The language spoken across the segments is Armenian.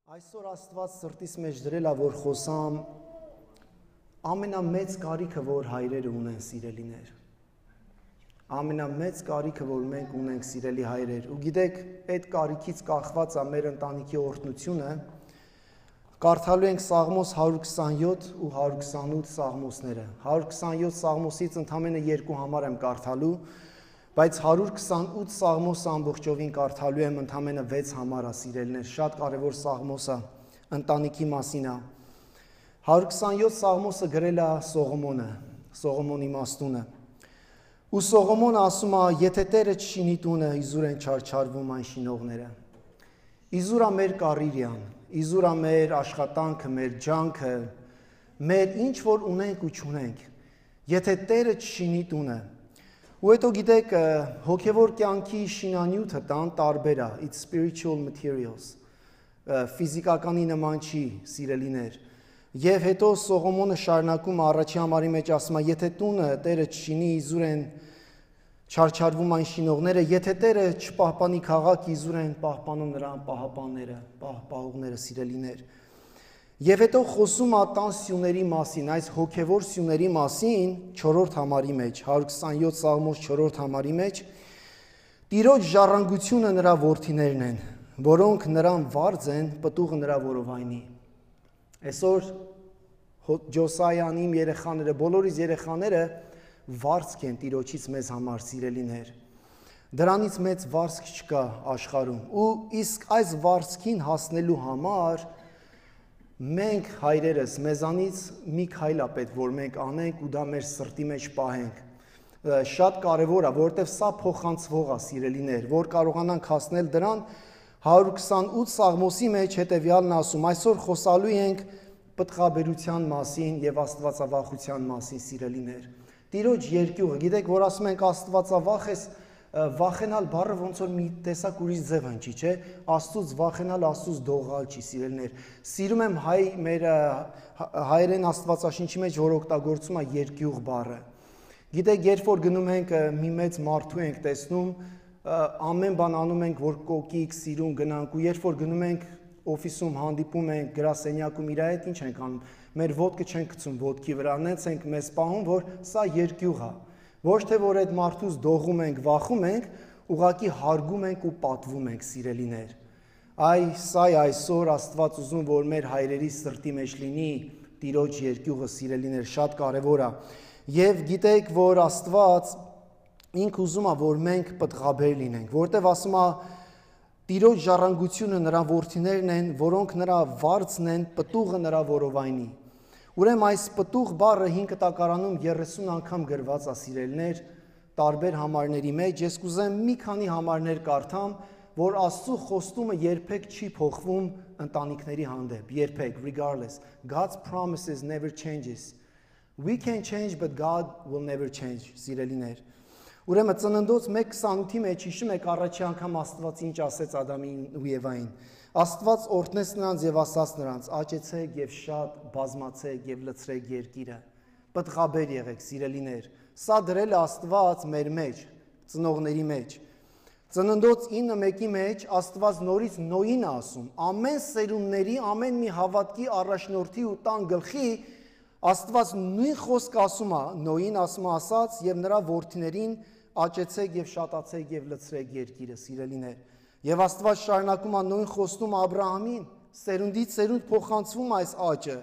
Այսօր Աստված սրտիս մեջ դրել է, որ խոսամ ամենամեծ կարիքը, որ հայրերը ունեն, սիրելիներ։ Ամենամեծ կարիքը, որ մենք ունենք, սիրելի հայրեր։ Ու գիտեք, այդ կարիքից կախված է մեր ընտանիքի օրհնությունը։ Կարդալու ենք Սաղմոս 127 ու 128 Սաղմոսները։ 127 Սաղմոսից ընդամենը 2 համար եմ կարդալու, բայց 128 Սաղմոսը ամբողջովին կարդալու եմ ընդամենը 6 համար, սիրելիներ, շատ կարևոր Սաղմոս է, ընտանիքի մասին է։ 127 Սաղմոսը գրել է Սողոմոնը, Սողոմոն իմաստունը։ Ու Սողոմոնը ասում է, եթե Տերը չշինի տունը, իզուր են չարչարվում այն շինողները։ Իզուր է մեր կարիերան, իզուր է մեր աշխատանքը, մեր ջանքը, մեր ինչ որ ունենք ու չունենք։ Եթե Տերը չշինի տունը, ու հետո գիտեք, հոգևոր կյանքի շինանյութը տան տարբեր է, it's spiritual materials, ֆիզիկականի նման չի, սիրելիներ։ Եվ հետո Սողոմոնը շարունակում առաջի համարի մեջ ասում է, եթե տունը Տերը չշինի, իզուր են չարչարվում այն շինողները, եթե Տերը չպահպանի քաղաք, իզուր են պահպանում նրան պահապանները, պահողները, սիրելիներ։ Եվ հետո խոսում է տան սյուների մասին, այս հոգևոր սյուների մասին 4-րդ համարի մեջ, 127 Սաղմոս 4-րդ համարի մեջ, Տիրոջ ժառանգությունը նրա որդիներն են, որոնք նրան վարձ են, պտուղը նրա որովայնի։ Այսօր Ջոսայան իմ երեխաները, բոլորիս երեխաները վարձք են Տիրոջից մեզ համար, սիրելիներ։ Դրանից մեծ վարձք չկա աշխարհում։ Ու իսկ այս վարձքին հասնելու համար մենք հայրերս մեզանից մի քայլ է պետք, որ մենք անենք ու դա մեր սրտի մեջ պահենք։ Շատ կարևոր է, որովհետև սա փոխանցվող է, սիրելիներ, որ կարողանանք հասնել դրան։ 128 Սաղմոսի մեջ հետևյալն ասում, այսօր խոսալու ենք պտղաբերության մասին եւ աստվածավախության մասին, սիրելիներ։ Տիրոջ երկյուղը, գիտեք, որ ասում ենք աստվածավախ ես, վախենալ բառը ոնց որ մի տեսակ ուրիշ ձև հնչի, չէ՞, Աստծուց վախենալ, Աստծուց դողալ չի, սիրելիներ։ Սիրում եմ մեր հայերեն Աստվածաշնչի մեջ, որ օգտագործում է երկյուղ բառը։ Գիտեք, երբ որ գնում ենք մի մեծ մարդու ենք տեսնում, ամեն բան անում ենք, որ կոկիկ, սիրուն գնանք, ու երբ որ գնում ենք օֆիսում հանդիպում ենք, գրասենյակում իր հետ ինչ ենք անում, մեր ոտքը չենք գցում ոտքի վրա, նենց ենք մեզ պահում, որ սա երկյուղ է։ Ոչ թե որ այդ մարդուց դողում ենք, վախում ենք, ուղղակի հարգում ենք ու պատվում ենք, սիրելիներ։ Սա է այսօր Աստված ուզում, որ մեր հայրերի սրտի մեջ լինի Տիրոջ երկյուղը, սիրելիներ, շատ կարևոր է։ Եվ գիտեք, որ Աստված ինքը ուզում է, որ մենք պտղաբեր լինենք, որտեղ ասում է Տիրոջ ժառանգությունը նրա որդիներն են, որոնք նրա վարձն են, պտուղը նրա որովայնի։ Ուրեմն այս պտուղ բառը 5 տակարանում 30 անգամ գրված է, սիրելիներ, տարբեր համարների մեջ։ Ես կուզեմ մի քանի համարներ կարդամ, որ Աստծո խոստումը երբեք չի փոխվում ընտանիքների հանդեպ, երբեք, regardless. God's promises never changes. We can change, but God will never change, սիրելիներ։ Ուրեմն Ծննդոց 1:28-ի մեջ հիշում եք առաջի անգամ Աստված ինչ ասեց Ադամին ու Եվային։ Աստված օրհնեց նրանց եւ ասաց նրանց. աճեցեք եւ շատ բազմացեք եւ լցրեք երկիրը։ Պտղաբեր եղեք, սիրելիներ։ Սա դրել է Աստված մեր մեջ, ծնողների մեջ։ Ծննդոց 9:1-ի մեջ Աստված նորից Նոյին է ասում. ամեն սերունդների, ամեն մի հավատքի առաջնորդի ու տան գլխի Աստված նույն խոսք ասում է, Նոյին ասում է ասած եւ նրա որդիներին աճեցեք եւ շատացեք եւ լցրեք երկիրը, սիրելիներ։ Եվ Աստված շարունակում է նույն խոստում Աբրահամին, սերունդից սերունդ փոխանցվում այս աճը։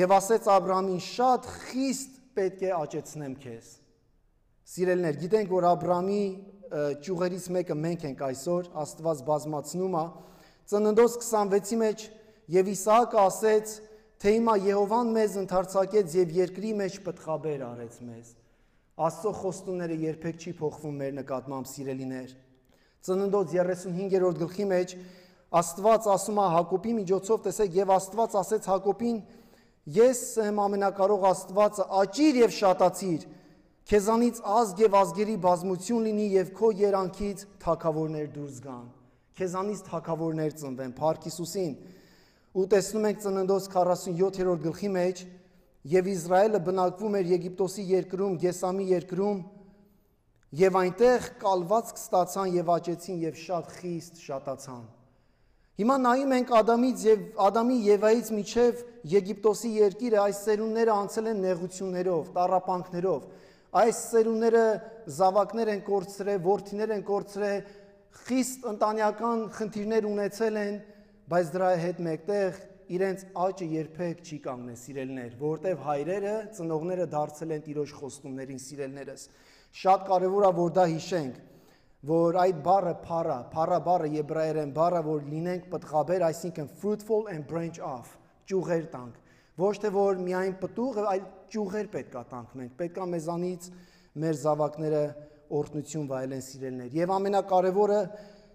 Եվ ասեց Աբրահամին, շատ խիստ պետք է աճեցնեմ քեզ։ Սիրելիներ, գիտենք, որ Աբրահամի ճյուղերից մեկը մենք ենք այսօր, Աստված բազմացնում է։ Ծննդոց 26-ի մեջ եւ Իսահակը ասեց, թե հիմա Եհովան մեզ ընդարձակեց եւ երկրի մեջ պտղաբեր արեց մեզ։ Աստծո խոստումները երբեք չի փոխվում մեր նկատմամբ, սիրելիներ։ Ծննդոց 35-րդ գլխի մեջ Աստված ասում է Հակոբի միջոցով, տեսեք, եւ Աստված ասեց Հակոբին. ես եմ ամենակարող Աստվածը, աճիր եւ շատացիր, քեզանից ազգ եւ ազգերի բազմություն լինի եւ քո երանքից թագավորներ դուրս գան։ Քեզանից թագավորներ ծնվեն, փառք Հիսուսին։ Ու տեսնում ենք Ծննդոց 47-րդ գլխի մեջ, եւ Իսրայելը բնակվում էր Եգիպտոսի երկրում, Գեսամի երկրում, եւ այնտեղ կալվածք ստացան եւ աճեցին եւ շատ խիստ շատացան։ Հիմա նայում ենք Ադամի Եվայից միջև Եգիպտոսի երկիրը, այս ծերունները անցել են նեղություններով, տառապանքներով, այս ծերունները զավակներ են կորցրել, որդիներ են կորցրել, խիստ ընտանեկան խնդիրներ ունեցել են, բայց դրա հետ մեկտեղ իրենց աճը երբեք չի կանգնել, սիրելիներ, որովհետև հայրերը, ծնողները դարձել են Տիրոջ խոստումներին, սիրելիներս։ Շատ կարևոր է, որ դա հիշենք, որ այդ բառը փառա բառը եբրայերեն բառը, որ լինենք պտղաբեր, այսինքն fruitful and branch off, ճյուղեր տանք, ոչ թե որ միայն պտուղ, այլ ճյուղեր պետք է տանք մենք, պետք է մեզանից մեր զավակները օրհնություն վայելեն, սիրելիներ։ Եվ ամենակարևորը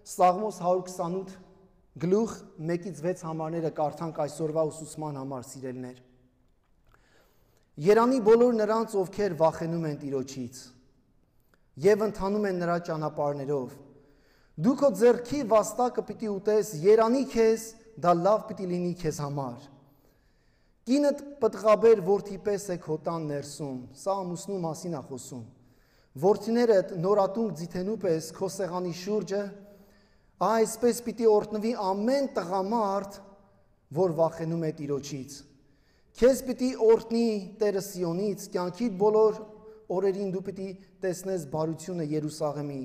Սաղմոս 128 գլուխ 1-6 համարները կարդանք այսօրվա ուսուցման համար, սիրելիներ։ Երանի բոլոր նրանց, ովքեր վախենում են Տիրոջից եւ ընթանում են նրա ճանապարհներով։ Դու քո ձեռքի վաստակը պիտի ուտես, երանի քեզ, դա լավ պիտի լինի քեզ համար։ Կինդ պտղաբեր որդի պես է քո տան ներսում, սա ամուսնու մասին է խոսում։ Որդիներդ նորատունկ ձիթենու պես քո սեղանի շուրջը, այսպես պիտի օրհնվի ամեն տղամարդ, որ վախենում է Տիրոջից։ Քեզ պիտի օրհնի Տերը Սիոնից, կյանքիդ բոլոր օրերին դու պիտի տեսնես բարությունը Երուսաղեմի,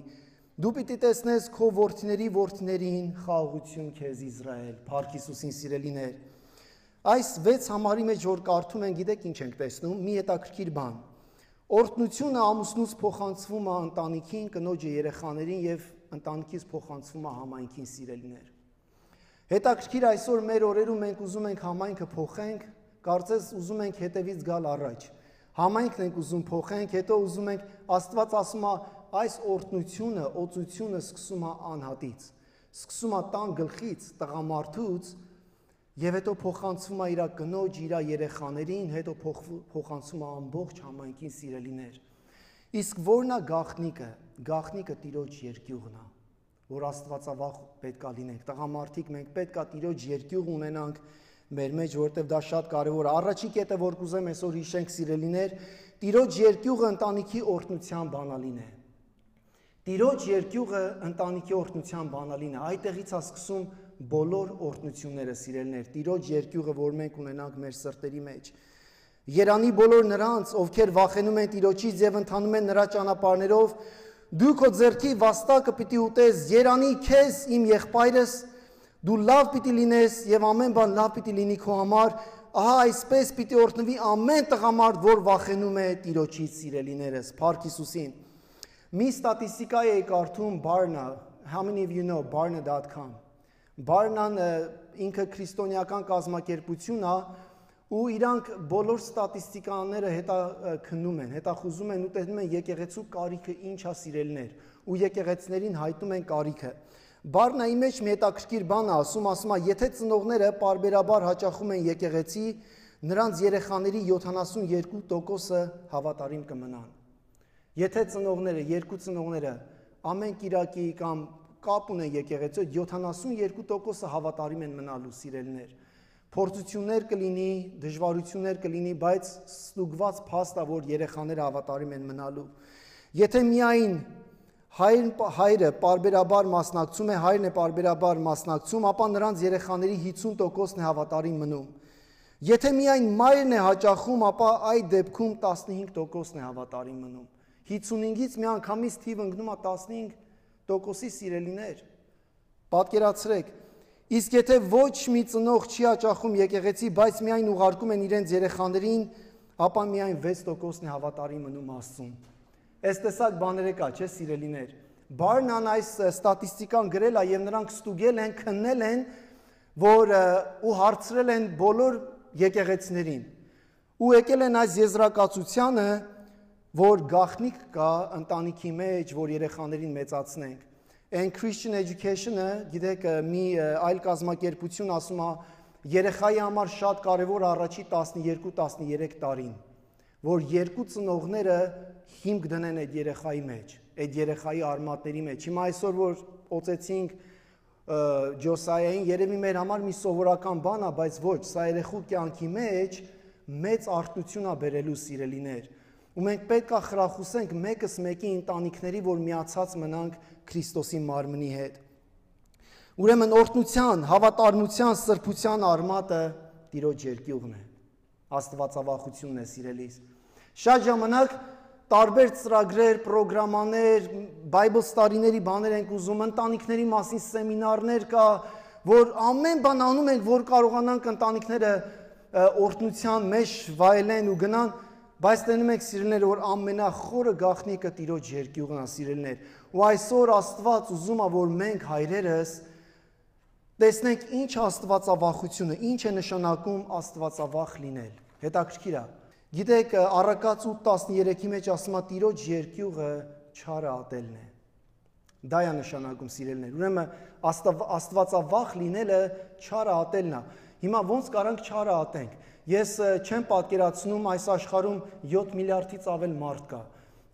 դու պիտի տեսնես քո որդիներին խաղաղություն քեզ Իսրայել, Փառք Հիսուսին, սիրելիներ։ Այս 6 համարի մեջ որ կարդում են, գիտեք ինչ ենք տեսնում, մի հետաքրքիր բան։ Օրհնությունը ամուսնուց փոխանցվում է ընտանիքին, կնոջը երեխաներին եւ ընտանիքից փոխանցվում է համայնքին, սիրելիներ։ Հետաքրքիր այսօր մեր օրերում մենք ուզում ենք համայնքը փոխենք, կարծես ուզում ենք հետևից գալ առաջ։ Համայնքն ենք ուզում փոխենք, հետո ուզում ենք, Աստված ասում է, այս օրհնությունը, օծությունը սկսում է անհատից, սկսում է տան գլխից, տղամարդուց, եւ հետո փոխանցվում է իր կնոջ, իր երեխաներին, հետո փոխանցվում է ամբողջ համայնքին, սիրելիներ։ Իսկ որն է գաղտնիքը։ Գաղտնիքը Տիրոջ երկյուղն է, որ Աստվածավախ պետք է լինենք։ Տղամարդիկ, մենք պետք է Տիրոջ երկյուղ ունենանք մեր մեջ, որտեղ դա շատ կարևոր է։ Առաջի կետը, որ կուզեմ այսօր հիշենք, սիրելիներ, Տիրոջ երկյուղը ընտանիքի օրհնության բանալին է։ Տիրոջ երկյուղը ընտանիքի օրհնության բանալին է։ Այդտեղից է սկսում բոլոր օրհնությունները, սիրելիներ, Տիրոջ երկյուղը, որ մենք ունենանք մեր սրտերի մեջ։ Երանի բոլոր նրանց, ովքեր վախենում են Տիրոջից եւ ընթանում են նրա ճանապարհներով, դու քո ձեռքի վաստակը պիտի ուտես, երանի քեզ, իմ եղբայրս, դու լավ պիտի լինես եւ ամեն բան լավ պիտի լինի քո համար, ահա այսպես պիտի օրհնվի ամեն տղամարդ, որ վախենում է Տիրոջից, սիրելիներս, Փառք Հիսուսին։ Մի ստատիստիկա էի կարդում Barna, how many of you know barna.com։ Barna-ն ինքը քրիստոնեական կազմակերպություն է, ու իրանք բոլոր ստատիստիկաները հետաքննում են, հետախուզում են ու տեսնում են եկեղեցու կարիքը ինչ է, սիրելիներ, ու եկեղեցիներին հայտնում են կարիքը։ Բարնայի մեջ մի հետաքրքիր բան է ասում է, եթե ծնողները պարբերաբար հաճախում են եկեղեցի, նրանց երեխաների 72%-ը հավատարիմ կմնան։ Եթե ծնողները, երկու ծնողները ամեն կիրակի կամ կապ ունեն եկեղեցու, 72%-ը հավատարիմ են մնալու, սիրելիներ։ Փորձություններ կլինի, դժվարություններ կլինի, բայց ստուգված փաստ է, որ երեխաները հավատարիմ են մնալու։ Եթե միայն հայրը պարբերաբար մասնակցում է, հայրն է պարբերաբար մասնակցում, ապա նրանց երեխաների 50%-ն է հավատարիմ մնում։ Եթե միայն մայրն է հաճախում, ապա այդ դեպքում 15%-ն է հավատարիմ մնում։ 55-ից մի անգամից թիվը ընկնում է 15%-ի, սիրելիներ։ Պատկերացրեք, իսկ եթե ոչ մի ծնող չի հաճախում եկեղեցի, բայց միայն ուղարկում են իրենց երեխաներին, ապա միայն 6%-ն է հավատարիմ մնում Աստծուն։ Այս տեսակ բաները կա, չէ, սիրելիներ։ Բարնան այս ստատիստիկան գրել է եւ նրանք ստուգել են, քննել են, որ ու հարցրել են բոլոր եկեղեցիներին։ Ու եկել են այս եզրակացությանը, որ գաղտնիք կա ընտանիքի մեջ, որ երեխաներին մեծացնենք։ And Christian education-ը, գիտեք, մի այլ կազմակերպություն ասում է, երեխայի համար շատ կարևոր առաջի 12-13 տարին, որ երկու ծնողները հիմք դնեն այդ երեխայի մեջ, այդ երեխայի արմատների մեջ։ Հիմա այսօր որ օծեցինք Ջոսայային, երևի մեր համար մի սովորական բան է, բայց ոչ, սա երեխու կյանքի մեջ մեծ արտություն է բերելու, սիրելիներ։ Ու մենք պետք է խրախուսենք մեկս մեկի ընտանիքների, որ միացած մնանք Քրիստոսի մարմնի հետ։ Ուրեմն օրհնության, հավատարմության, սրբության արմատը Տիրոջ երկյուղն է։ Աստվածավախությունն է, սիրելիս։ Շատ ժամանակ տարբեր ծրագրեր, պրոգրամաներ, Bible study-ների բաներ ենք ուզում, ընտանիքների մասին սեմինարներ կա, որ ամեն բան անում ենք, որ կարողանանք ընտանիքները օրհնության մեջ վայելեն ու գնան, բայց տենում ենք, սիրելիներ, որ ամենախորը գաղտնիքը Տիրոջ երկյուղն է, սիրելիներ։ Ու այսօր Աստված ուզում է, որ մենք հայրերս տեսնենք ինչ աստվածավախությունը, ինչ է նշանակում աստվածավախ լինել։ Հետաքրքիր է։ Գիտեք, Առակաց 8:13-ի մեջ ասում է Տիրոջ երկյուղը չարը ատելն է։ Դա է նշանակում, սիրելիներ։ Ուրեմն աստվածավախ լինելը չարը ատելն է։ Հիմա ոնց կարանք չարը ատենք։ Ես չեմ պատկերացնում այս աշխարհում 7 միլիարդից ավել մարդ կա։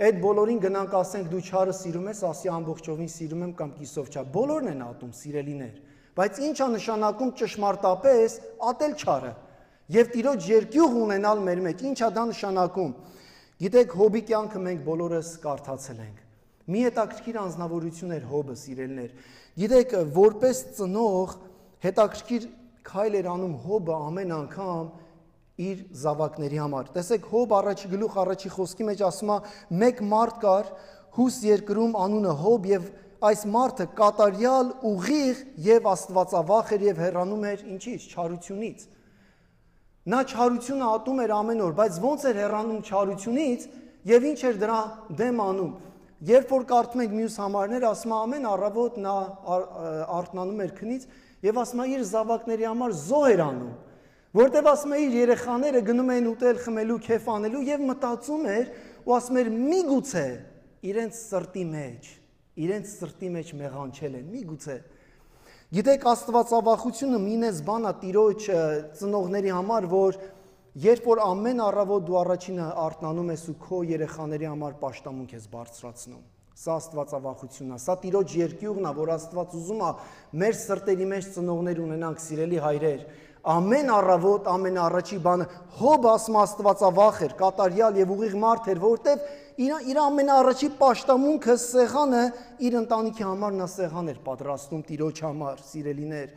Այդ բոլորին գնանք ասենք դու չարը սիրում ես, ասի ամբողջովին սիրում եմ կամ կիսով չա։ Բոլորն են ատում, սիրելիներ։ Բայց ինչ է նշանակում ճշմարտապես ատել չարը եւ Տիրոջ երկյուղ ունենալ մեր մեջ։ Ինչ է դա նշանակում։ Գիտեք, Հոբի կյանքը մենք բոլորս կարդացել ենք։ Մի հետաքրքիր անձնավորություն էր Հոբը, սիրելիներ։ Գիտեք, որպես ծնող հետաքրքիր քայլ էր անում Հոբը ամեն անգամ իր զավակների համար։ Տեսեք, Հոբ առաջի գլուխ առաջի խոսքի մեջ ասում է. մեկ մարդ կար Հուս երկրում անունը Հոբ եւ այս մարդը կատարյալ, ուղիղ եւ աստվածավախ էր եւ հեռանում էր ինչից, չարությունից։ Նա չարությունը ատում էր ամեն օր, բայց ոնց էր հեռանում չարությունից եւ ինչ էր դրա դեմ անում։ Երբ որ կարդում ենք մյուս համարները, ասում է ամեն առավոտ նա արթնանում էր քնից եւ ասում է իր զավակների համար զոհ էր անում, որտեւ ասում է իր երեխաները գնում էին ուտել, խմելու, քեֆ անելու եւ մտածում էր ու ասում էր միգուցե իրենց սրտի մեջ մեղանչել են, միգուցե։ Գիտեք, աստվածավախությունը մինես բան է Տիրոջ ծնողների համար, որ երբ որ ամեն առավոտ դու առաջինը արթնանում ես ու քո երեխաների համար պաշտամունք ես բարձրացնում, սա աստվածավախությունն է, սա Տիրոջ երկյուղն է, որ Աստված ուզում է մեր սրտերի մեջ ծնողներ ունենանք, սիրելի հայրեր։ Ամեն առավոտ ամենաառաջի բանը Հոբը ասում աստվածավախ էր, կատարյալ եւ ուղիղ մարդ էր, որտեվ իր ամենաառաջի պաշտամունքը սեղանը իր ընտանիքի համար նա սեղան էր պատրաստում Տիրոջ համար, սիրելիներ։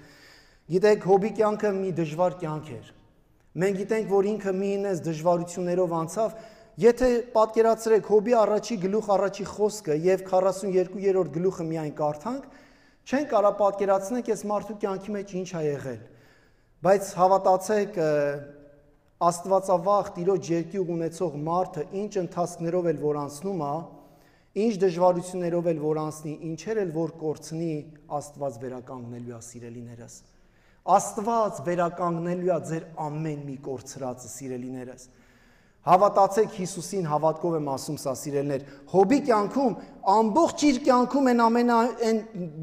Գիտեք, Հոբի կյանքը մի դժվար կյանք էր։ Մենք գիտենք, որ ինքը մի ինես դժվարություններով անցավ, եթե պատկերացրեք Հոբի առաջի գլուխ առաջի խոսքը եւ 42-րդ գլուխը միայն կարդանք, չեն կարող պատկերացնել այս մարդու կյանքի մեջ ինչ է եղել։ Բայց հավատացեք, աստվածավախ Տիրոջ երկյուղ ունեցող մարդը ինչ ընթացքներով էլ որ անցնում է, ինչ դժվարություններով էլ որ անցնի, ինչեր էլ որ կորցնի, Աստված վերականգնելու է, սիրելիներս։ Աստված վերականգնելու է ձեր ամեն մի կորցրածը, սիրելիներս։ Հավատացեք Հիսուսին, հավատքով եմ ասում սա, սիրելիներ։ Հոբի կյանքում, ամբողջ իր կյանքում այն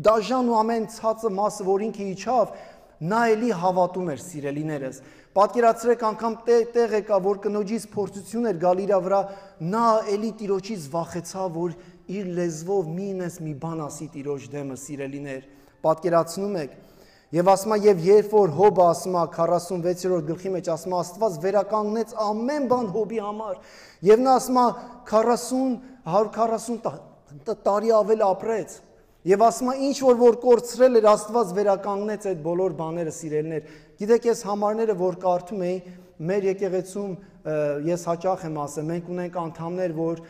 դաժան ու ամեն ցածը մասը, որ ինքը իջավ, նա էլի հավատում էր, սիրելիներս։ Պատկերացրեք անգամ տեղ եկա, որ կնոջից փորձություն էր գալ իր վրա, նա էլի Տիրոջից վախեցավ, որ իր լեզվով մի բան ասի Տիրոջ դեմը, սիրելիներ։ Պատկերացնում եք։ Եվ ասում է, եւ երբ որ Հոբը ասում է 46-րդ գլխի մեջ ասում է Աստված վերականգնեց ամեն բան Հոբի համար, եւ նա ասում է 140 տարի ավել ապրեց։ Եվ ասում է ինչ որ կորցրել էր Աստված վերականգնեց այդ բոլոր բաները, սիրելիներ։ Գիտեք, ես համարները որ կարդում էի, մեր եկեղեցում ես հաճախ եմ ասել, մենք ունենք անդամներ, որ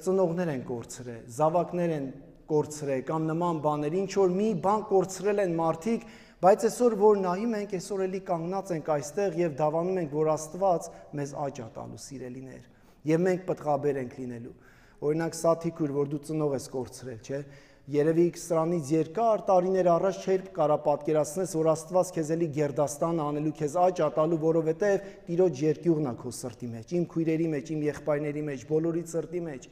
ծնողներ են կորցրել, զավակներ են կորցրել կամ նման բաներ, ինչ որ մի բան կորցրել են մարդիկ, բայց այսօր որ նայում ենք, այսօր էլի կանգնած ենք այստեղ եւ դավանում ենք, որ Աստված մեզ աճ է տալու, սիրելիներ, եւ մենք պտղաբեր ենք լինելու։ Օրինակ Սաթիկուր, որ դու ծնող ես կորցրել, չէ՞։ Երևի սրանից երկար տարիներ առաջ չէր կարա պատկերացնես, որ Աստված քեզ էլի գերդաստան անելու, քեզ աճ ատալու, որովհետև Տիրոջ երկյուղն է քո սրտի մեջ, իմ քույրերի մեջ, իմ եղբայրների մեջ, բոլորի սրտի մեջ։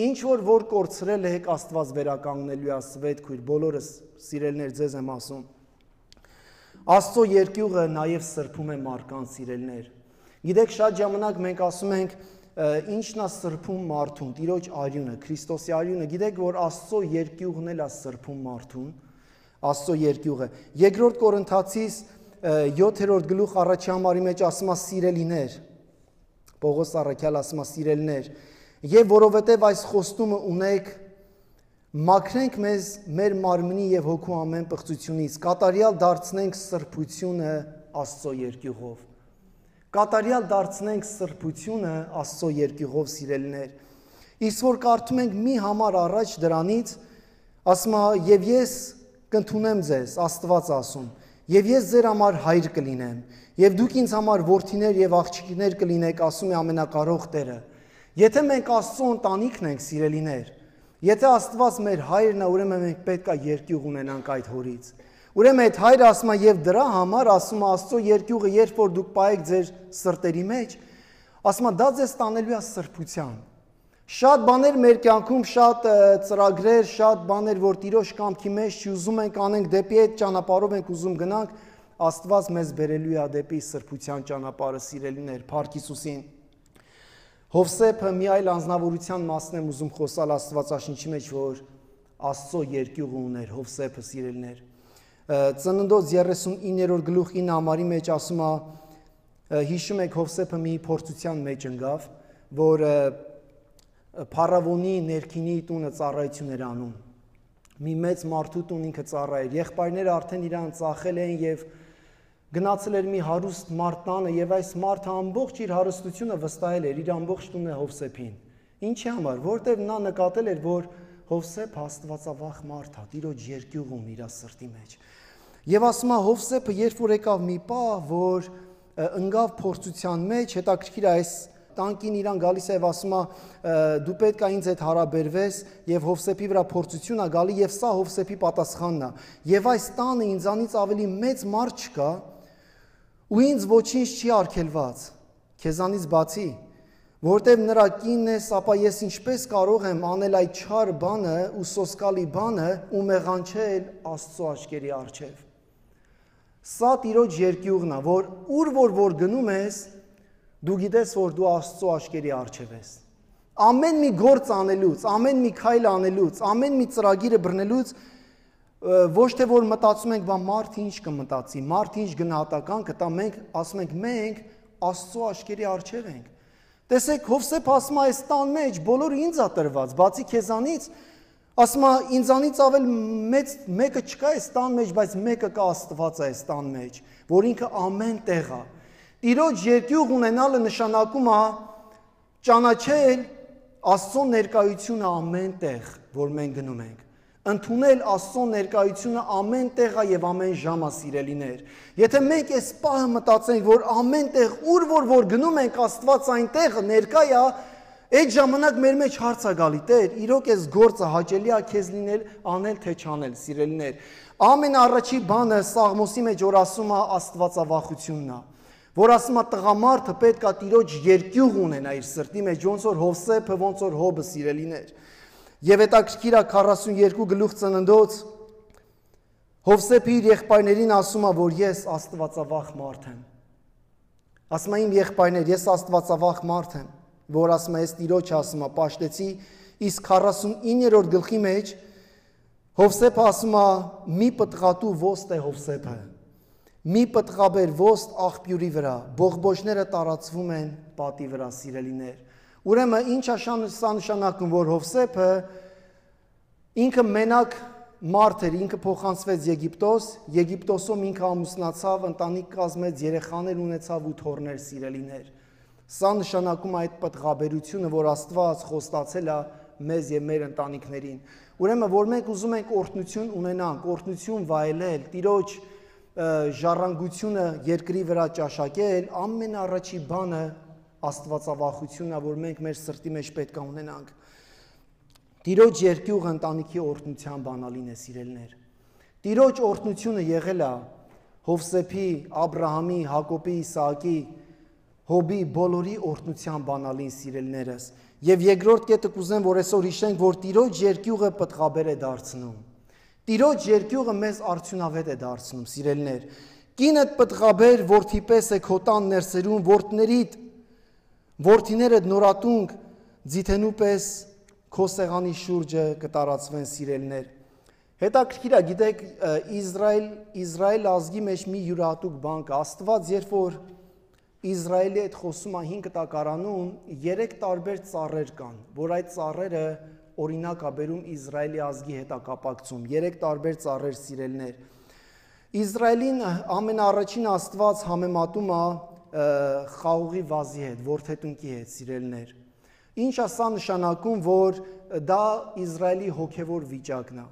Ինչ որ կորցրել եք, Աստված վերականգնելու է, Սվետ քույր, բոլորս սիրելներ ձեզ եմ ասում։ Աստծո երկյուղը նաև սրբում է մարդկանց, սիրելներ։ Գիտեք, շատ ժամանակ մենք ասում ենք ինչն է սրբում մարդուն, Տիրոջ արյունը, Քրիստոսի արյունը, գիտեք, որ Աստծո երկյուղն էլ է սրբում մարդուն, Աստծո երկյուղը։ Երկրորդ Կորինթացիս 7-րդ գլուխ առաջի համարի մեջ ասում է սիրելիներ, Պողոս առաքյալ ասում է սիրելիներ, եւ որովհետեւ այս խոստումը ունեք, Մաքրենք մեզ մեր մարմնի եւ հոգու ամեն պղծությունից, կատարյալ դարձնենք սրբությունը Աստծո երկյուղով։ Կատարյալ դարձնենք սրբությունը Աստծո երկյուղով, սիրելիներ։ Իսկ որ կարդում ենք մի համար առաջ դրանից, ասում է, եւ ես կընդունեմ ձեզ, Աստված ասում, եւ ես ձեր համար հայր կլինեմ, եւ դուք ինձ համար որդիներ եւ աղջիկներ կլինեք, ասում է Ամենակարող Տերը։ Եթե մենք Աստծո ընտանիքն ենք, սիրելիներ, եթե Աստված մեր հայրն է, ուրեմն մենք պետք է երկյուղ ունենանք այդ հորից։ Ուրեմն այդ հայրը ասում է եւ դրա համար ասում է Աստծո երկյուղը, երբ որ դուք պայեք ձեր սրտերի մեջ, ասում է դա ձեզ տանելու է սրբության։ Շատ բաներ մեր կյանքում, շատ ծրագրեր, շատ բաներ, որ Տիրոջ կամքի մեջ ուզում ենք անենք, դեպի այդ ճանապարհով ենք ուզում գնանք, Աստված մեզ բերելու է դեպի սրբության ճանապարհը, սիրելիներ, Փառք Հիսուսին։ Հովսեփը մի այլ անձնավորության մասն եմ ուզում խոսալ Աստվածաշնչի մեջ, որ Աստծո երկյուղը ուներ Հովսեփը, սիրելիներ։ Ծննդոց 39-րդ գլուխ 9 համարի մեջ ասում է, հիշում եք Հովսեփը մի փորձության մեջ ընկավ, որ Փարավոնի ներքինի տունը ծառայություն էր անում։ Մի մեծ մարդու տուն ինքը ծառայեր։ Եղբայրները արդեն իրան ծախել էին եւ գնացել էր մի հարուստ մարդ տանը եւ այս մարդը ամբողջ իր հարստությունը վստահել էր իր ամբողջ տունը Հովսեփին։ Ինչի համար, որտեւ նա նկատել էր, որ Հովսեփը աստվածավախ մարդ է, Տիրոջ երկյուղ ունի իր սրտի մեջ։ Եվ ասում է Հովսեփը, երբ որ եկավ մի պահ, որ ընկավ փորձության մեջ, հետաքրքիր է այս տանկին իրան գալիս է եւ ասում է դու պետք է ինձ հետ հարաբերվես եւ Հովսեփի վրա փորձություն է գալի եւ սա Հովսեփի պատասխանն է եւ այս տանը ինձանից ավելի մեծ մարդ չկա ու ինձ ոչինչ չի արգելված քեզանից բացի որտեւ նրա կինն ես ապա ես ինչպես կարող եմ անել այդ չար բանը ու սոսկալի բանը ու մեղանչել Աստծո աչքերի առջև սա Տիրոջ երկյուղն է որ որ գնում ես դու գիտես, որ դու Աստծո աչքերի առջև ես։ Ամեն մի գործ անելուց, ամեն մի քայլ անելուց, ամեն մի ծրագիրը բռնելուց ոչ թե որ մտածում ենք, բա մարդ ինչ կմտածի, մարդ ինչ գնահատական կտա, մենք ասում ենք, մենք Աստծո աչքերի առջև ենք։ Տեսեք, Հովսեփ ասում է, այս տան մեջ բոլորը ինձ է տրված, բացի քեզանից, ասում է, ինձանից ավել մեծ մեկը չկա այս տան մեջ, բայց մեկը կա Աստված է այս տան մեջ, որ ինքը ամեն տեղ է։ Տիրոջ երկյուղ ունենալը նշանակում է ճանաչել Աստծո ներկայությունը ամեն տեղ, որ մենք գնում ենք։ Ընդունել Աստծո ներկայությունը ամեն տեղ է եւ ամեն ժամ է, սիրելիներ։ Եթե մենք այս պահը մտածենք, որ ամեն տեղ որ գնում ենք Աստված այնտեղ ներկա է, այդ ժամանակ մեր մեջ հարց է գալի. Տեր, իրոք այս գործը հաճելի է քեզ լինել, անել թե չանել, սիրելիներ։ Ամենառաջի բանը Սաղմոսի մեջ որ ասում է Աստվածավախությունն է։ Որ ասում է տղամարդը պետք է Տիրոջ երկյուղ ունենա իր սրտի մեջ, ոնց որ Հովսեփը, ոնց որ Հոբը, սիրելիներ։ Եվ հետաքրքիր է 42 գլուխ Ծննդոց Հովսեփը իր եղբայրներին ասում է, որ ես աստվածավախ մարդ եմ։ Ասում է իմ եղբայրներ, ես աստվածավախ մարդ եմ, որ ասում է ես Տիրոջ ասում է, պաշտեցի, իսկ 49-րդ գլխի մեջ Հովսեփը ասում է մի պտղատու ոստ է Հովսեփը։ Մի պտղաբեր ոստ աղբյուրի վրա, բողբոջները տարածվում են պատի վրա, սիրելիներ։ Ուրեմն ինչ է սա նշանակում, որ Հովսեփը ինքը մենակ մարդ էր, ինքը փոխանցվեց Եգիպտոս, Եգիպտոսում ինքը ամուսնացավ, ընտանիք կազմեց, երեխաներ ունեցավ ու թոռներ, սիրելիներ։ Սա նշանակում է այդ պտղաբերությունը, որ Աստված խոստացել է մեզ եւ մեր ընտանիքներին։ Ուրեմն որ մենք ուզում ենք օրհնություն ունենանք, օրհնություն վայելել, Տիրոջ ժառանգությունը երկրի վրա ճաշակել, ամենառաջի բանը աստվածավախությունն է, որ մենք մեր սրտի մեջ պետք է ունենանք։ Տիրոջ երկյուղը ընտանիքի օրհնության բանալին է, սիրելիներ։ Տիրոջ օրհնությունը եղել է Հովսեփի, Աբրահամի, Հակոբի, Իսահակի, Հոբի բոլորի օրհնության բանալին, սիրելիներս։ Եվ երկրորդ կետը կուզեմ, որ այսօր հիշենք, որ Տիրոջ երկյուղը պտղաբեր է դարձնում։ Տիրոջ երկյուղը մեզ արդյունավետ է դարձնում, սիրելիներ։ Կինդ պտղաբեր, որդի պես է քո տան ներսերում, որդիներդ նորատունկ ձիթենու պես քո սեղանի շուրջը կտարածվեն, սիրելիներ։ Հետաքրքիր է, գիտեք, Իսրայել ազգի մեջ մի յուրահատուկ բան կա։ Աստված, երբ որ Իսրայելի հետ խոսում է 5 տակարանում, 3 տարբեր ծառեր կան, որ այդ ծառերը օրինակ է բերում Իսրայելի ազգի հետակապակցում։ 3 տարբեր ծառեր սիրելներ։ Իսրայելին ամենաառաջին Աստված համեմատում է խաղողի վազի հետ, ворթետնկի հետ, սիրելներ։ Ինչ է սա նշանակում, որ դա Իսրայելի հոգևոր վիճակն է։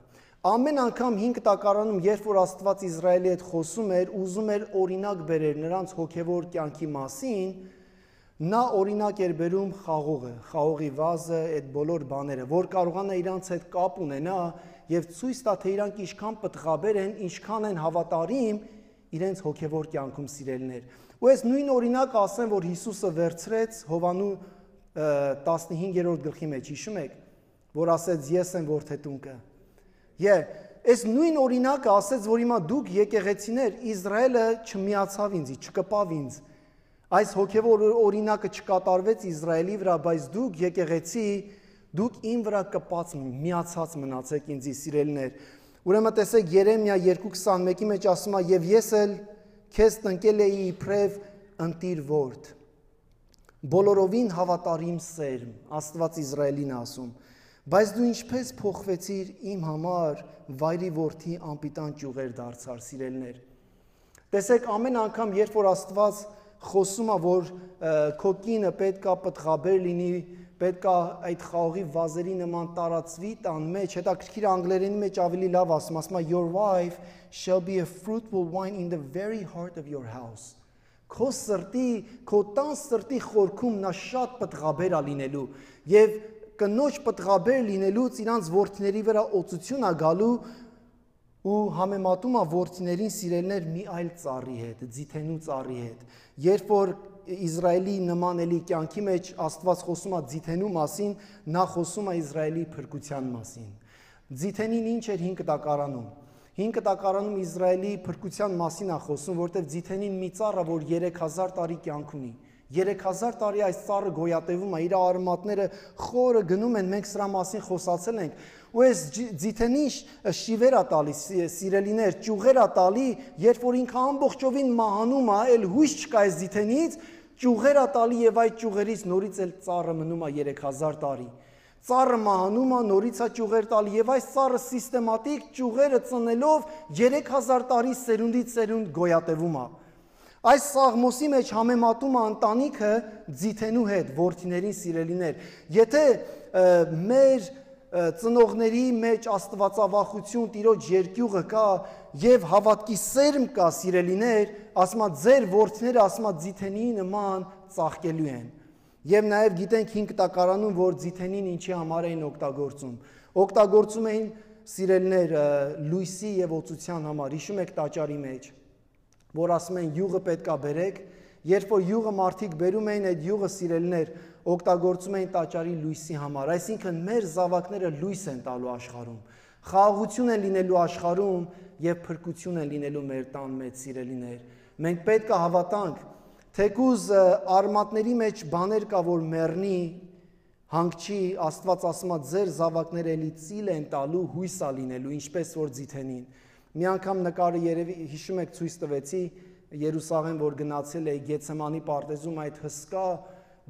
Ամեն անգամ 5 տակարանում, երբ որ Աստված Իսրայելի հետ խոսում էր, ուզում էր օրինակ բերել նրանց հոգևոր կյանքի մասին, նա օրինակ էր բերում խաղողը, խաղողի վազը, այդ բոլոր բաները, որ կարողանա իրանց հետ կապ ունենա եւ ցույց տա, թե իրանք ինչքան պտղաբեր են, ինչքան են հավատարիմ իրենց հոգևոր կյանքում, սիրելներ։ Ու այս նույն օրինակը ասեմ, որ Հիսուսը վերցրեց Հովանու 15-րդ գլխի մեջ, հիշում եք, որ ասեց ես եմ ворթետնկը։ Այս նույն օրինակը ասեց, որ հիմա դուք եկեղեցիներ, Իսրայելը չմիացավ ինձի, չկպավ ինձ։ Այս հոգևոր օրինակը չկատարվեց Իսրայելի վրա, բայց դուք եկեղեցի, դուք իմ վրա կպած, միացած մնացեք ինձի, սիրելներ։ Ուրեմն տեսեք Երեմիա 2:21-ի մեջ ասում է, եւ ես էլ քեզ տնկել էի իբրև ընտիր ворթ։ Բոլորովին հավատարիմ սերմ, Աստված Իսրայելին ասում, բայց դու ինչպես փոխվեցիր իմ համար, վայրի որդի անպիտան ճյուղեր դարձար, սիրելներ։ Տեսեք, ամեն անգամ, երբ որ Աստված խոսում է, որ քո կինը պետք է պտղաբեր լինի, պետք է այդ խաղողի վազերի նման տարածվի տան մեջ, հետաքրքիր անգլերենի մեջ ավելի լավ ասում է, your wife shall be a fruitful vine in the very heart of your house։ Քո սրտի, քո տան սրտի խորքում նա շատ պտղաբեր է լինելու եւ կնոջ պտղաբեր լինելուց իրանց որդիների վրա օծություն է գալու ու համեմատում է որդիներին, սիրելներ, մի այլ ծառի հետ, ձիթենու ծառի հետ։ Երբ որ Իսրայելի նման էլի կյանքի մեջ Աստված խոսում է ձիթենու մասին, նա խոսում է Իսրայելի փրկության մասին։ Ձիթենին ինչ էր 5 տակարանում։ 5 տակարանում Իսրայելի փրկության մասին է խոսում, որտեղ ձիթենին մի ծառ է, որ 3000 տարի կյանք ունի։ 3000 տարի այս ծառը գոյատևում է, իր արմատները խորը գնում են, մենք սրա մասին խոսացել ենք։ Ու այս ձիթենին շիվեր է տալի, սիրելիներ, ճյուղեր է տալի, երբ որ ինքը ամբողջովին մահանում է, էլ հույս չկա այս ձիթենից, ճյուղեր է տալի եւ այդ ճյուղերից նորից էլ ծառը մնում է 3000 տարի։ Ծառը մահանում է, նորից է ճյուղեր տալի եւ այս ծառը սիստեմատիկ ճյուղերը ծնելով 3000 տարի սերունդից սերունդ գոյատևում է։ Այս Սաղմոսի մեջ համեմատում է ընտանիքը ձիթենու հետ, որդիներին, սիրելիներ։ Եթե մեր ծնողների մեջ աստվածավախություն, Տիրոջ երկյուղը կա եւ հավատքի սերմ կա, սիրելիներ, ասма ձեր որդիները ասма ձիթենի նման ծաղկելու են։ Եվ նաեւ գիտենք 5 տակարանում, որ ձիթենին ինչի համար էին օգտագործում։ Օգտագործում էին, սիրելիներ, լույսի եւ օծության համար։ Հիշում եք տաճարի մեջ, որ ասում են յուղը պետք է բերեք, երբ որ յուղը մարդիկ բերում էին, այդ յուղը, սիրելիներ, օգտագործում էին տաճարի լույսի համար, այսինքն մեր զավակները լույս են տալու աշխարհում, խաղաղություն են լինելու աշխարհում եւ փրկություն են լինելու մեր տան մեջ, սիրելիներ։ Մենք պետք է հավատանք, թեկուզ արմատների մեջ բաներ կա, որ մեռնի, հանգչի, Աստված ասում է ձեր զավակները էլի ծիլ են տալու, հույս է լինելու, ինչպես որ ձիթենին։ Մի անգամ նկարը երևի հիշում եք ցույց տվեցի Երուսաղեմ, որ գնացել էի Գեթսեմանի պարտեզում այդ հսկա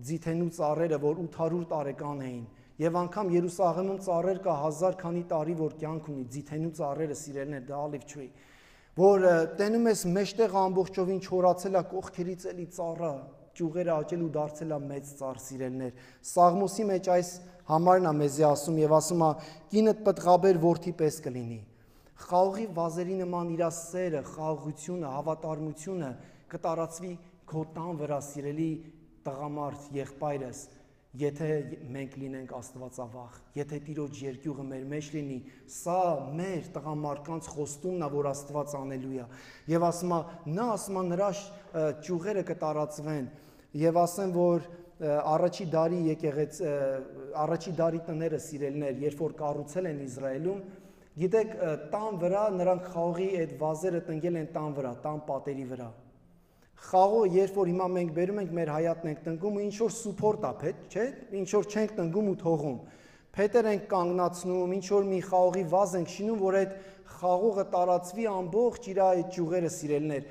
ձիթենու ծառերը, որ 800 տարեկան էին, եւ անգամ Երուսաղեմում ծառեր կա 1000 քանի տարի, որ կյանք ունի, ձիթենու ծառերը, սիրելներ, դա ալիվ չուի, որ տենում ես մեջտեղ ամբողջովին չորացել է, կողքերից էլի ծառը, ճյուղերը աճել ու դարձել է մեծ ծառ, սիրելներ։ Սաղմոսի մեջ այս համարն է մեզի ասում եւ ասում է կինդ պտղաբեր որդի պես կլինի։ Խաղողի վազերի նման իր սերը, խաղաղությունը, հավատարմությունը կտարածվի քո տան վրա, սիրելի տղամարդ, եղբայրս, եթե մենք լինենք աստվածավախ, եթե Տիրոջ երկյուղը մեր մեջ լինի, սա մեր տղամարդկանց խոստումն է, որ Աստված անելու է։ Եվ ասում է, նա ասում է նրա ճյուղերը կտարածվեն, եւ ասեմ, որ առաջի դարի տները, սիրելներ, երբ որ կառուցել են Իսրայելում, գիտեք, տան վրա նրանք խաղողի այդ վազերը տնկել են տան վրա, տան պատերի վրա։ Խաղողը, երբ որ հիմա մենք բերում ենք մեր հայատն ենք տնկում ու ինչ որ սուփորտ է, չէ՞, ինչ որ չենք տնկում ու թողում։ Փետեր ենք կանգնացնում, ինչ որ մի խաղողի վազ ենք շինում, որ այդ խաղողը տարածվի ամբողջ իր այդ ճյուղերը, սիրելներ։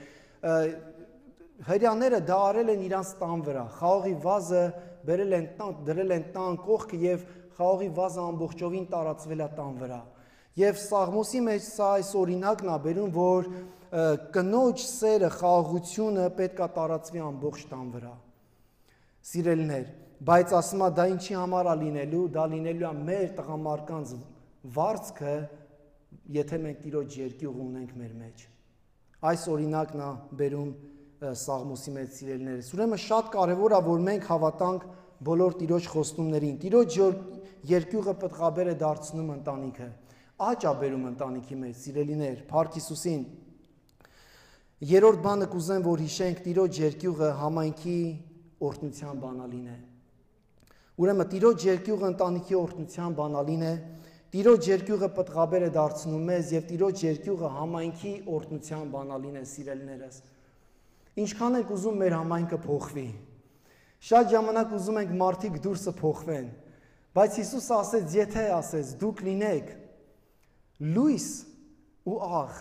Հրյաները դա արել են իրանց տան վրա։ Խաղողի վազը բերել են տան, դրել են տան կողքը եւ խաղողի վազը ամբողջովին տարածվել է տան վրա։ Եվ Սաղմոսի մեջ սա այս օրինակն է բերում, որ կնոջ սերը, խաղաղությունը պետք է տարածվի ամբողջ տան վրա։ Սիրելիներ, բայց ասում է դա ինչի համար է լինելու, դա լինելու է մեր տղամարդկանց վարձքը, եթե մենք Տիրոջ երկյուղ ունենք մեր մեջ։ Այս օրինակն է բերում Սաղմոսի մեջ, սիրելիներս։ Ուրեմն շատ կարևոր է, որ մենք հավատանք բոլոր Տիրոջ խոստումներին։ Տիրոջ երկյուղը պտղաբեր է դարձնում ընտանիքը, աճ է բերում ընտանիքի մեջ, սիրելիներ, Փառք Հիսուսին։ Երրորդ բանը կուզեմ, որ հիշենք, Տիրոջ երկյուղը համայնքի օրհնության բանալին է։ Ուրեմն Տիրոջ երկյուղը ընտանիքի օրհնության բանալին է, Տիրոջ երկյուղը պտղաբեր է դարձնում մեզ եւ Տիրոջ երկյուղը համայնքի օրհնության բանալին է, սիրելիներս։ Ինչքան ենք ուզում մեր համայնքը փոխվի։ Շատ ժամանակ ուզում ենք մարդիկ դուրսը փոխվեն, բայց Հիսուսը ասեց, եթե ասեց դուք լինեք լույս ու աղ,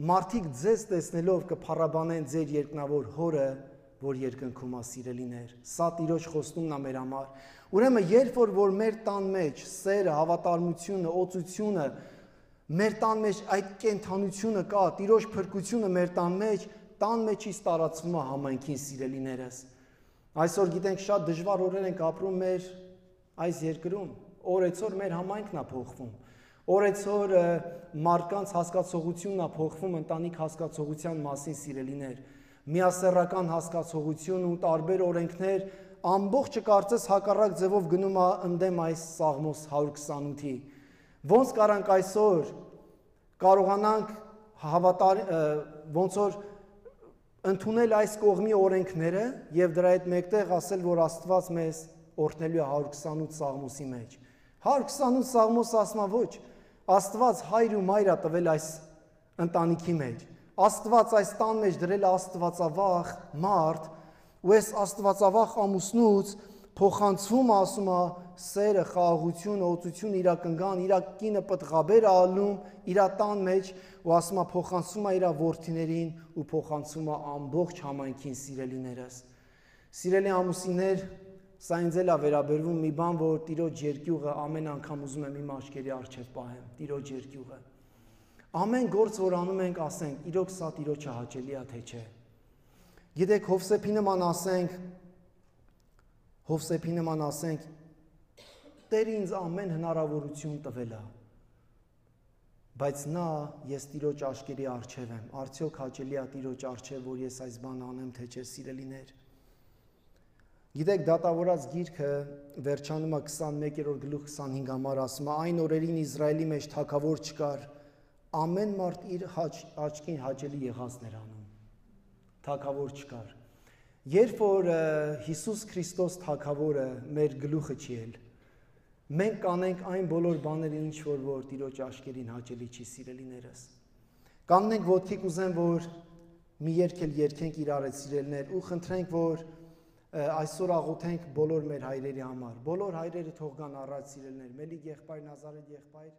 մարդիկ ձեզ տեսնելով կփառաբանեն ձեր երկնավոր Հորը, որ երկնքում է, սիրելիներ։ Սա Տիրոջ խոստումն է մեր համար։ Ուրեմն երբ որ մեր տան մեջ սերը, հավատարմությունը, օծությունը, մեր տան մեջ այդ կենթանությունը կա, Տիրոջ փրկությունը մեր տան մեջից տարածվում է համայնքին, սիրելիներս։ Այսօր գիտենք շատ դժվար օրեր ենք ապրում մեր այս երկրում, օրեցօր մեր համայնքն է փոխվում, օրեցօր մարդկանց հասկացողությունն է փոխվում ընտանիք հասկացողության մասին, սիրելիներ, միասեռական հասկացողություն ու տարբեր օրենքներ, ամբողջը կարծես հակառակ ձևով գնում է ընդդեմ այս Սաղմոս 128-ի։ Ոնց կարանք այսօր կարողանանք ոնց որ ընդունել այս կողմի օրենքները եւ դրա հետ մեկտեղ ասել, որ Աստված մեզ օրհնելու է 128 Սաղմոսի մեջ։ 128 Սաղմոս ասում է ոչ, Աստված հայր ու մայր է տվել այս ընտանիքի մեջ։ Աստված այս տան մեջ դրել է աստվածավախ մարդ, ու այս աստվածավախ ամուսնուց փոխանցվում, ասում է, սերը, խաղաղությունը, օծությունը իր կնգան, իր կինը պտղաբեր է ալնում իր տան մեջ, ու ասում է փոխանցվում է իր որդիներին ու փոխանցվում է ամբողջ համայնքին, սիրելիներս։ Սիրելի ամուսիններ, սա ինձ էլ է վերաբերվում մի բան, որ Տիրոջ երկյուղը ամեն անգամ ուզում եմ իմ աչքերի առջև պահեմ, Տիրոջ երկյուղը։ Ամեն գործ, որ անում ենք, ասենք, իրոք սա Տիրոջը հաճելի է, թե չէ։ Գիտեք, Հովսեփի նման ասենք, Տերը ինձ ամեն հնարավորություն տվել է, բայց նա ես Տիրոջ աչքերի առջև եմ, արդյոք հաճելի է Տիրոջ առջև, որ ես այս բանը անեմ, թե չէ, սիրելիներ։ Գիտեք, Դատավորաց գիրքը վերջանում է 21-րդ գլուխ 25 համար, ասում է, այն օրերին Իսրայելի մեջ թագավոր չկար, ամեն մարդ իր աչքին հաճելի եղածն էր անում, թագավոր չկար։ Երբ որ Հիսուս Քրիստոս թագավորը մեր գլուխը չի էլ, մենք կանենք այն բոլոր բաները, ինչ որ Տիրոջ աչքերին հաճելի չի, սիրելիներս։ Կանգնենք ոտքի, կուզեմ, որ մի երգ էլ երգենք իրար հետ, սիրելիներ, ու խնդրենք, որ այսօր աղոթենք բոլոր մեր հայրերի համար, բոլոր հայրերը թող գան առաջ, սիրելիներ, Մելիք եղբայր, Նազարեթ եղբայր,